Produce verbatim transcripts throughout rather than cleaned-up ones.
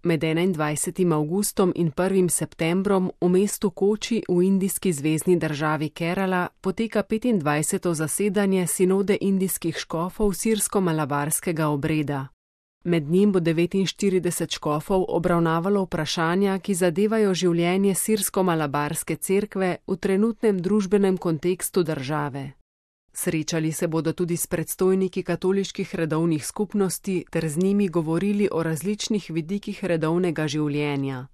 Med enaindvajsetim avgustom in prvim septembrom v mestu Koči v indijski zvezni državi Kerala poteka petindvajseto zasedanje sinode indijskih škofov sirsko-malabarskega obreda. Med njim bo devetinštirideset škofov obravnavalo vprašanja, ki zadevajo življenje sirsko-malabarske cerkve v trenutnem družbenem kontekstu države. Srečali se bodo tudi s predstojniki katoliških redovnih skupnosti ter z njimi govorili o različnih vidikih redovnega življenja.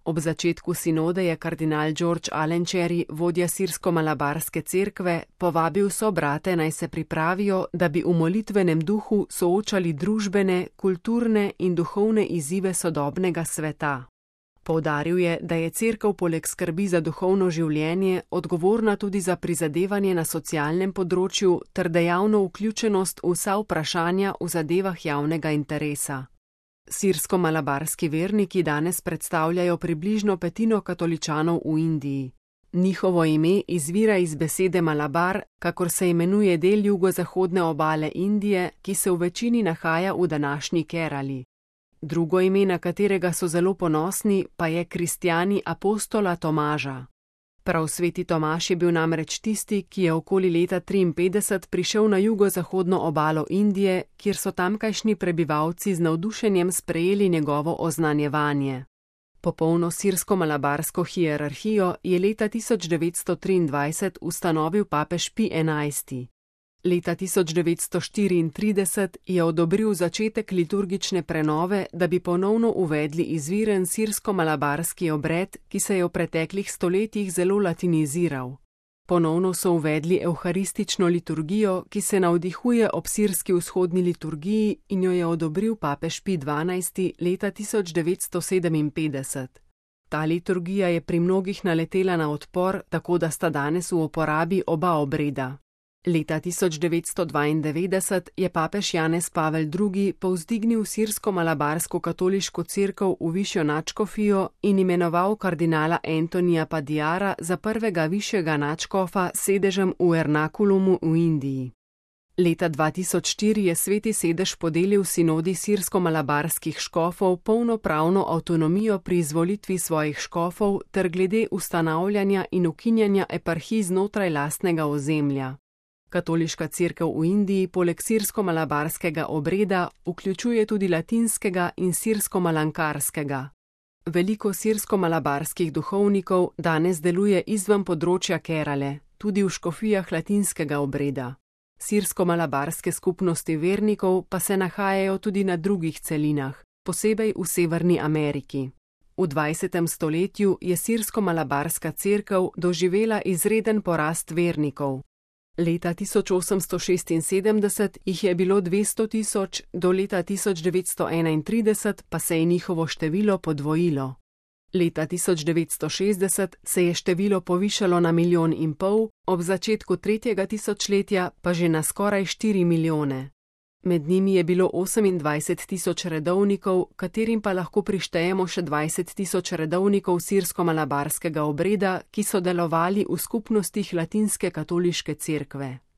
Ob začetku sinode je kardinal George Alenčeri, vodja sirsko-malabarske cerkve, povabil sobrate, naj se pripravijo, da bi v molitvenem duhu soočali družbene, kulturne in duhovne izzive sodobnega sveta. Poudaril je, da je cerkev poleg skrbi za duhovno življenje odgovorna tudi za prizadevanje na socialnem področju ter dejavno vključenost v vsa vprašanja v zadevah javnega interesa. Sirsko-malabarski verniki danes predstavljajo približno petino katoličanov v Indiji. Njihovo ime izvira iz besede Malabar, kakor se imenuje del jugozahodne obale Indije, ki se v večini nahaja v današnji Kerali. Drugo ime, na katerega so zelo ponosni, pa je kristjani apostola Tomaža. Prav sveti Tomaž je bil namreč tisti, ki je okoli leta triinpetdeset prišel na jugozahodno obalo Indije, kjer so tamkajšnji prebivalci z navdušenjem sprejeli njegovo oznanjevanje. Popolno sirsko-malabarsko hierarhijo je leta tisoč devetsto triindvajset ustanovil papež Pij enajsti. Leta tisoč devetsto štiriintrideset je odobril začetek liturgične prenove, da bi ponovno uvedli izviren sirsko-malabarski obred, ki se je v preteklih stoletjih zelo latiniziral. Ponovno so uvedli evharistično liturgijo, ki se navdihuje ob sirski vzhodni liturgiji in jo je odobril papež Pij dvanajsti leta tisoč devetsto sedeminpetdeset. Ta liturgija je pri mnogih naletela na odpor, tako da sta danes v uporabi oba obreda. Leta tisoč devetsto dvaindevetdeset je papež Janez Pavel drugi povzdignil sirsko-malabarsko katoliško cerkev v višjo nadškofijo in imenoval kardinala Antonija Padijara za prvega višjega nadškofa s sedežem v Ernakulumu v Indiji. Leta dva tisoč štiri je sveti sedež podelil sinodi sirsko-malabarskih škofov polnopravno avtonomijo pri izvolitvi svojih škofov ter glede ustanavljanja in ukinjanja eparhij znotraj lastnega ozemlja. Katoliška cerkev v Indiji poleg sirsko-malabarskega obreda vključuje tudi latinskega in sirsko-malankarskega. Veliko sirsko-malabarskih duhovnikov danes deluje izven področja Kerale, tudi v škofijah latinskega obreda. Sirsko-malabarske skupnosti vernikov pa se nahajajo tudi na drugih celinah, posebej v Severni Ameriki. V dvajsetem stoletju je sirsko-malabarska cerkev doživela izreden porast vernikov. Leta tisoč osemsto šestinsedemdeset jih je bilo dvesto tisoč, do leta tisoč devetsto enaintrideset pa se je njihovo število podvojilo. Leta tisoč devetsto šestdeset se je število povišalo na milijon in pol, ob začetku tretjega tisočletja pa že na skoraj štiri milijone. Med njimi je bilo osemindvajset tisoč redovnikov, katerim pa lahko prištejemo še dvajset tisoč redovnikov sirsko-malabarskega obreda, ki so delovali v skupnostih latinske katoliške cerkve.